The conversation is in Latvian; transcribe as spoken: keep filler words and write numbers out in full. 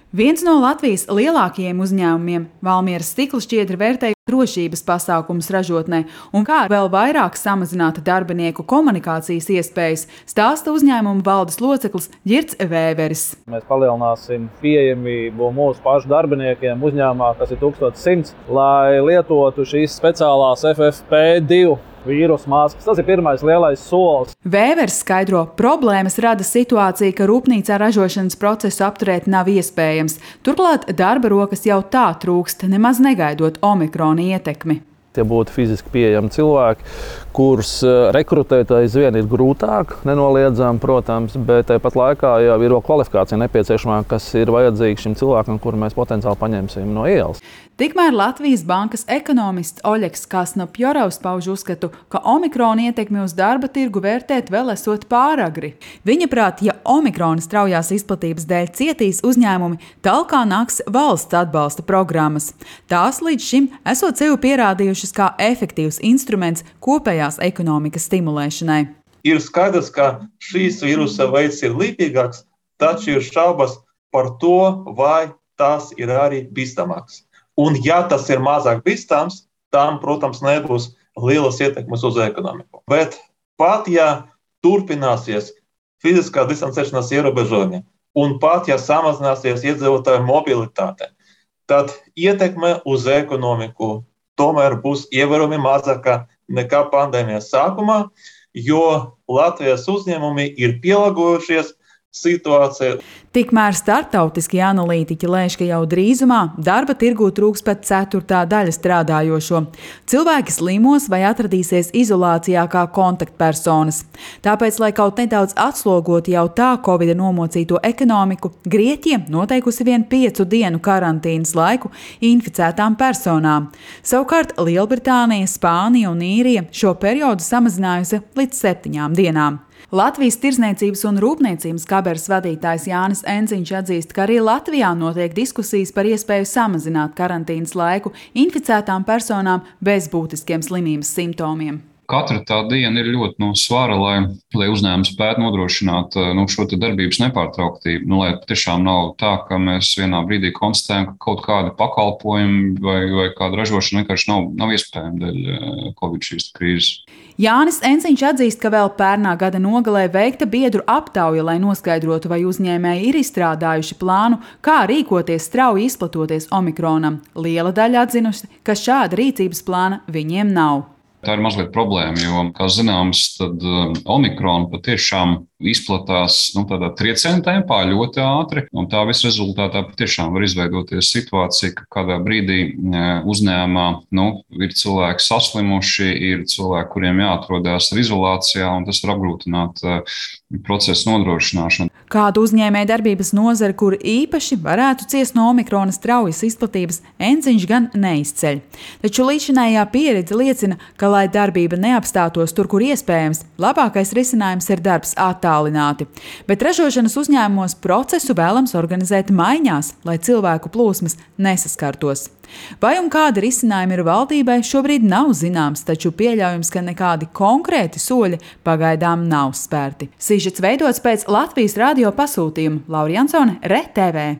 Viens no Latvijas lielākajiem uzņēmumiem Valmieras stikla šķiedra vērtēja drošības pasākumus ražotnē un kā vēl vairāk samazināt darbinieku komunikācijas iespējas, stāsta uzņēmuma valdes loceklis Girts Vēveris. Mēs palielināsim pieejamību mūsu pašu darbiniekiem uzņēmumā, kas ir tūkstoš simts, lai lietotu šīs speciālās F F P divi vīrusu maskas. Tas ir pirmais lielais solis. Vēveris skaidro, problēmas rada situācija, ka rūpnīcā ražošanas procesu apturēt nav iespējams. Turklāt darba rokas jau tā trūkst, nemaz negaidot omikrona ietekmi. Tie būtu fiziski pieejami cilvēki, kurus rekrutēt aizvien ir grūtāk, nenoliedzami, protams, bet tāpat laikā jau ir kvalifikācija nepieciešamā, kas ir vajadzīga šim cilvēkam, kuru mēs potenciāli paņemsim no ielas. Tikmēr Latvijas bankas ekonomists Oļegs Kasnopjorovs pauž uzskatu, ka omikrona ietekmi uz darba tirgu vērtēt vēl esot pāragri. Viņa prāt, ja omikrona straujās izplatības dēļ cietīs uzņēmumi, talkā nāks valsts atbalsta programmas. Tās līdz šim esot sevi pierādījušas kā efektīvs instruments kopējās ekonomikas stimulēšanai. Ir skaidrs, ka šīs vīrusa veids ir lipīgāks, taču ir šaubas par to, vai tas ir arī bīstamāks. Un ja tas ir mazāk bīstams, tam, protams, nebūs lielas ietekmes uz ekonomiku. Bet pat ja turpināsies fiziskā distancēšanās ierobežojumi un pat ja samazināsies iedzīvotāju mobilitāte, tad ietekme uz ekonomiku tomēr būs ievērojami mazāka nekā pandēmijas sākumā, jo Latvijas uzņēmumi ir pielāgojušies situācija. Tikmēr starptautiskie analītiķi lēš, ka jau drīzumā darba tirgū trūks pat ceturtā daļa strādājošo. Cilvēki slimos vai atradīsies izolācijā kā kontaktpersonas. Tāpēc, lai kaut nedaudz atslogotu jau tā Covida nomocīto ekonomiku, Grieķija noteikusi vien piecu dienu karantīnas laiku inficētām personām. Savukārt Lielbritānija, Spānija un Īrija šo periodu samazinājusi līdz septiņām dienām. Latvijas Tirdzniecības un Rūpniecības kameras vadītājs Jānis Enciņš atzīst, ka arī Latvijā notiek diskusijas par iespēju samazināt karantīnas laiku inficētām personām bez būtiskiem slimības simptomiem. Katra tā diena ir ļoti no svara, lai, lai uzņēmums spētu nodrošināt nu, šo darbības nepārtrauktību. Nu, lai tiešām nav tā, ka mēs vienā brīdī konstatējam, ka kaut kādi pakalpojumi vai, vai kāda ražošana vienkārši nav, nav iespējama dēļ Covid šīs krīzes. Jānis Enciņš atzīst, ka vēl pērnā gada nogalē veikta biedru aptauja, lai noskaidrotu, vai uzņēmēji ir izstrādājuši plānu, kā rīkoties strauji izplatoties omikronam. Liela daļa atzinusi, ka šāda rīcības plāna viņiem nav. Tā ir mazliet problēma, jo, kā zināms, tad omikrona patiešām izplatās nu, tādā trieciena tempā ļoti ātri, un tā visa rezultātā patiešām var izveidoties situācija, ka kādā brīdī uzņēmumā nu, ir cilvēki saslimuši, ir cilvēki, kuriem jāatrodās izolācijā, un tas var apgrūtināt procesu nodrošināšanu. Kādu uzņēmēju darbības nozari, kur īpaši varētu ciest no omikrona straujas izplatības, Enciņš gan neizceļ. Taču līdzinājā pieredze liecina, ka, lai darbība neapstātos tur, kur iespējams, labākais risinājums ir darbs attālināti. Bet ražošanas uzņēmumos procesu vēlams organizēt maiņās, lai cilvēku plūsmas nesaskartos. Vai un kāda risinājuma ir valdībai, šobrīd nav zināms, taču pieļaujams, ka nekādi konkrēti soļi pagaidām nav spērti. Sižets veidots pēc Latvijas radio pasūtījuma. Laura Jansone, R E T V.